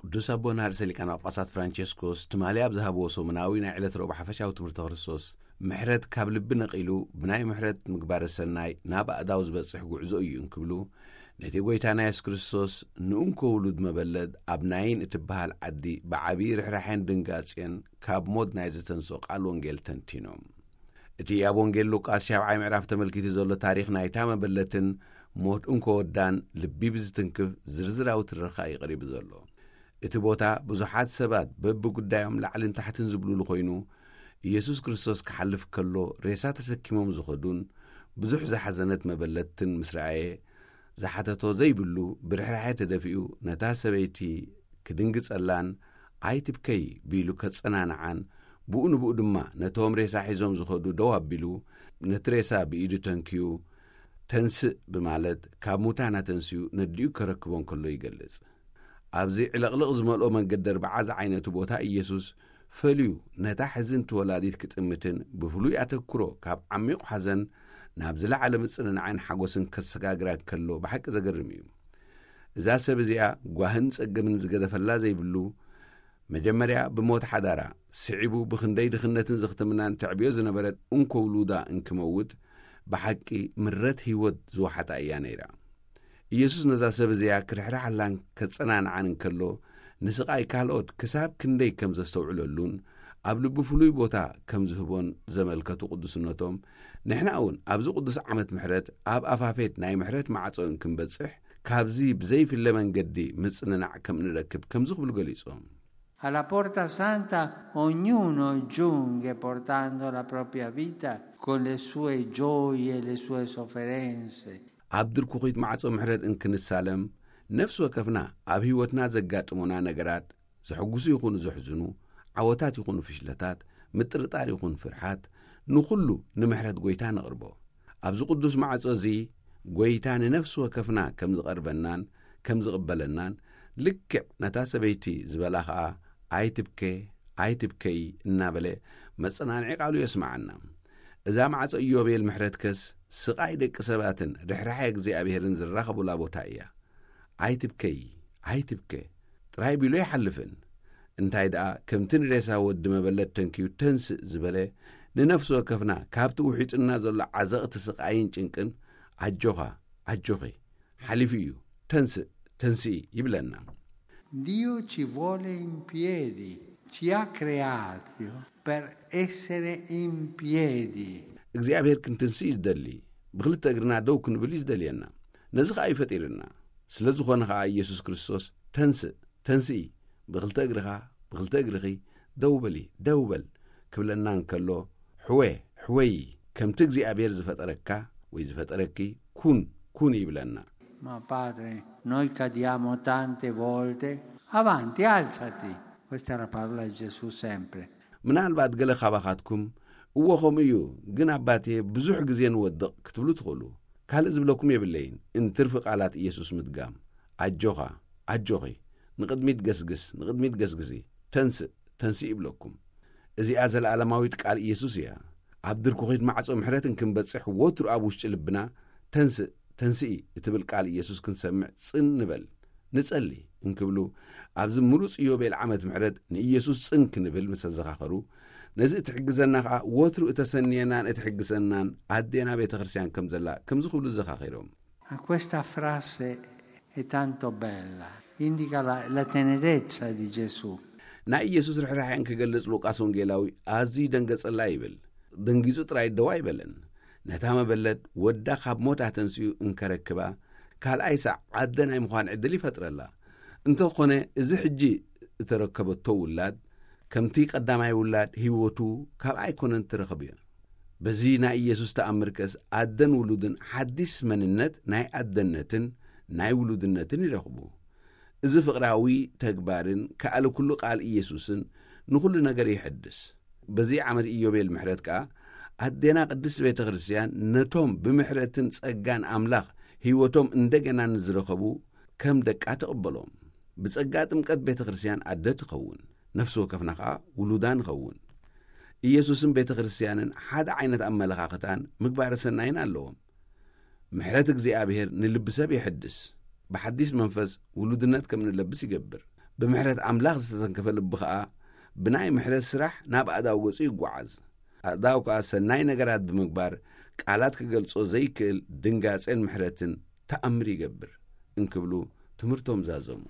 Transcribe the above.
ቅዱስ ኣቦና ርእሰ ሊቃነ ጳጳሳት ፍራንቸስኮስ ትማሊ ኣብ ዝሃብዎ ሰሙናዊ ናይ ዕለት ረቡዕ ሓፈሻዊ ትምህርተ ክርስቶስ፣ ምሕረት ካብ ልቢ ነቒሉ ብናይ ምሕረት ምግባረ ሰናይ ናብ ኣእዳው ዝበጽሕ ጉዕዞ እዩ እንክብሉ፣ ነቲ ጐይታና የሱስ ክርስቶስ ንእንኮ ውሉድ መበለት ኣብ ናይን እትበሃል ዓዲ ብዓብዪ ርሕራሐን ድንጋጼን ካብ ሞት ናይ ዘተንስኦ ቃል ወንጌል ተንቲኖም። እቲ ኣብ ወንጌል ሉቃስ ሻብዓይ ምዕራፍ ተመልኪቱ ዘሎ ታሪኽ ናይታ መበለትን ሞት እንኮ ወዳን ልቢ ብዝትንክፍ ዝርዝራዊ ትረኻ እዩ ቀሪቡ ዘሎ። እቲ ቦታ ብዙሓት ሰባት በብጉዳዮም ላዕልን ታሕትን ዝብሉሉ ኮይኑ፣ ኢየሱስ ክርስቶስ ክሓልፍ ከሎ ሬሳ ተሰኪሞም ዝኸዱን ብዙሕ ዝሓዘነት መበለትን ምስ ረኣየ፣ ዝሓተቶ ዘይብሉ ብርሕራሐ ተደፊኡ ነታ ሰበይቲ ክድንግጸላን ኣይትብከይ ቢሉ ከጸናንዓን፣ ብኡ ንብኡ ድማ ነቶም ሬሳ ሒዞም ዝኸዱ ደው ኣቢሉ፣ ነቲ ሬሳ ብኢዱ ተንክዩ፣ "ተንስእ" ብማለት ካብ ሙታን ኣተንስኡ ነዲኡ ከረክቦ እንከሎ ይገልጽ። ኣብዚ ዕልቕልቕ ዝመልኦ መንገዲ ኣርብዓ ዝዓይነቱ ቦታ ኢየሱስ ፈልዩ ነታ ሕዝንቲ ወላዲት ክጥምትን ብፍሉይ ኣተኩሮ ካብ ዓሚቕ ሓዘን ናብ ዝለዓለ ምጽንናዕን ሓጎስን ከሰጋግራ ከሎ ብሓቂ ዘገርም እዩ። እዛ ሰብ እዚኣ ጓህን ጸገምን ዝገደፈላ ዘይብሉ፣ መጀመርያ ብሞት ሓዳራ፣ ስዒቡ ብኽንደይ ድኽነትን ዝኽትምናን ተዕብዮ ዝነበረት እንኮ ውሉዳ እንክመውት፣ ብሓቂ ምረት ህይወት ዝወሓጣ እያ ነይራ። ኢየሱስ ነዛ ሰብ እዚኣ ክርሕርሓላን ከጸናንዓን እንከሎ፣ ንስቓይ ካልኦት ክሳብ ክንደይ ከም ዘስተውዕለሉን ኣብ ልቡ ፍሉይ ቦታ ከም ዝህቦን ዘመልከቱ ቅዱስነቶም፣ ንሕና እውን ኣብዚ ቅዱስ ዓመት ምሕረት ኣብ ኣፋፌት ናይ ምሕረት ማዕጾ እንክንበጽሕ፣ ካብዚ ብዘይፍለ መንገዲ ምጽንናዕ ከም ንረክብ ከምዚ ክብሉ ገሊጾም። Alla porta santa ognuno giunga portando la propria vita con le sue gioie e le sue sofferenze. ኣብ ድርኩኺት ማዕጾ ምሕረት እንክንሳለም፣ ነፍሲ ወከፍና ኣብ ህይወትና ዘጋጥሙና ነገራት፣ ዘሐጉሱ ይኹኑ ዘሕዝኑ፣ ዓወታት ይኹኑ ፍሽለታት፣ ምጥርጣር ይኹን ፍርሓት፣ ንኹሉ ንምሕረት ጐይታ ነቕርቦ። ኣብዚ ቅዱስ ማዕጾ እዚ ጐይታ ንነፍሲ ወከፍና ከም ዝቐርበናን ከም ዝቕበለናን፣ ልክዕ ነታ ሰበይቲ ዝበላ ኸኣ፣ "ኣይትብከ፣ ኣይትብከይ" እናበለ መጸናንዒ ቃሉ የስምዓና። እዛ ማዕጾ ኢዮቤል ምሕረትከስ፣ ስቓይ ደቂ ሰባትን ርሕራሐ እግዚኣብሄርን ዝራኸቡላ ቦታ እያ። "ኣይትብከይ፣ ኣይትብከ" ጥራይ ቢሉ ኣይሓልፍን። እንታይ ደኣ፣ ከምቲ ንሬሳ ወዲ መበለት ተንክዩ "ተንስእ" ዝበለ፣ ንነፍሲ ወከፍና ካብቲ ውሒጥና ዘሎ ዓዘቕቲ ስቓይን ጭንቅን፣ "ኣጆኻ፣ ኣጆኺ፣ ሓሊፉ እዩ፣ ተንስእ፣ ተንስኢ" ይብለና። Dio ci vuole in piedi, ci ha creati per essere in piedi. እግዚኣብሔር ክንትንስእ እዩ ዝደሊ፣ ብኽልተ እግርና ደው ክንብል እዩ ዝደልየና። ነዚ ኸኣ እዩ ፈጢርና። ስለ ዝኾነ ኸኣ ኢየሱስ ክርስቶስ፣ "ተንስእ፣ ተንስኢ፣ ብኽልተ እግርኻ፣ ብኽልተ እግርኺ ደው በሊ፣ ደው በል" ክብለና እንከሎ፣ "ሕወ፣ ሕወይ፣ ከምቲ እግዚኣብሔር ዝፈጠረካ ወይ ዝፈጠረኪ ኩን፣ ኩን" ይብለና። Ma padre, noi cadiamo tante volte, avanti, alzati. Questa è la parola di Gesù sempre. ምናልባት ገለ ካባኻትኩም፣ "እወ፣ ከምኡ እዩ፣ ግን ኣባቴ፣ ብዙሕ ግዜ ንወድቕ" ክትብሉ ትኽእሉ። ካልእ ዝብለኩም የብለይን፣ እንትርፊ ቃላት ኢየሱስ ምድጋም። "ኣጆኻ፣ ኣጆኺ፣ ንቕድሚት ገስግስ፣ ንቕድሚት ገስግሲ፣ ተንስእ፣ ተንስእ" ይብለኩም። እዚኣ ዘለኣለማዊት ቃል ኢየሱስ እያ። ኣብ ድርኩኺት ማዕጾ ምሕረት እንክንበጽሕ፣ ወትሩ ኣብ ውሽጢ ልብና፣ "ተንስእ፣ ተንስኢ" እትብል ቃል ኢየሱስ ክንሰምዕ ጽን ንበል፣ ንጸሊ እንክብሉ፣ ኣብዚ ምሩጽ ኢዮቤል ዓመት ምሕረት ንኢየሱስ ጽን ክንብል ምስ ኣዘኻኸሩ፣ ነዚ እትሕግዘና ኸኣ ወትሩ እተሰንየናን እትሕግዘናን ኣዴና ቤተ ክርስቲያን ከም ዘላ ከምዚ ክብሉ ኣዘኻኺሮም። A questa frase è tanto bella, indica la, la tenerezza di Gesù. ናይ ኢየሱስ ርሕራሐ እንክገልጽ ሉቃስ ወንጌላዊ ኣዝዩ ደንገጸላ ይብል። ደንጊጹ ጥራይ ደው ኣይበለን። ነታ መበለት ወዳ ካብ ሞት ኣተንስኡ እንከረክባ፣ ካልኣይ ሳዕ ኣደ ናይ ምዃን ዕድል ይፈጥረላ። እንተኾነ፣ እዚ ሕጂ እተረከበቶ ውላድ፣ ከምቲ ቀዳማይ ውላድ ህይወቱ ካብ ኣይኮነን ትረኽብ እያ። በዚ ናይ ኢየሱስ ተኣምርከስ ኣደን ውሉድን ሓዲስ መንነት ናይ ኣደነትን ናይ ውሉድነትን ይረኽቡ። እዚ ፍቕራዊ ተግባርን ከኣለ ኩሉ ቃል ኢየሱስን ንኹሉ ነገር ይሕድስ። በዚ ዓመት ኢዮቤል ምሕረት ከኣ ኣዴና ቅድስት ቤተ ክርስቲያን ነቶም ብምሕረትን ጸጋን ኣምላኽ ህይወቶም እንደገና ንዝረኸቡ ከም ደቃ ትቕበሎም። ብጸጋ ጥምቀት ቤተ ክርስቲያን ኣደ ትኸውን፣ ነፍሲ ወከፍና ከኣ ውሉዳ ንኸውን። ኢየሱስን ቤተ ክርስቲያንን ሓደ ዓይነት ኣመለኻኽታን ምግባረ ሰናይን ኣለዎም። ምሕረት እግዚኣብሔር ንልቢ ሰብ የሕድስ፣ ብሓዲስ መንፈስ ውሉድነት ከም ንለብስ ይገብር። ብምሕረት ኣምላኽ ዝተተንከፈ ልቢ ኸኣ ብናይ ምሕረት ስራሕ ናብ ኣእዳው ገጹ ይጓዓዝ። ኣእዳው ከኣ ሰናይ ነገራት ብምግባር ቃላት ክገልጾ ዘይክእል ድንጋጼን ምሕረትን ተኣምር ይገብር እንክብሉ ትምህርቶም ዛዘሙ።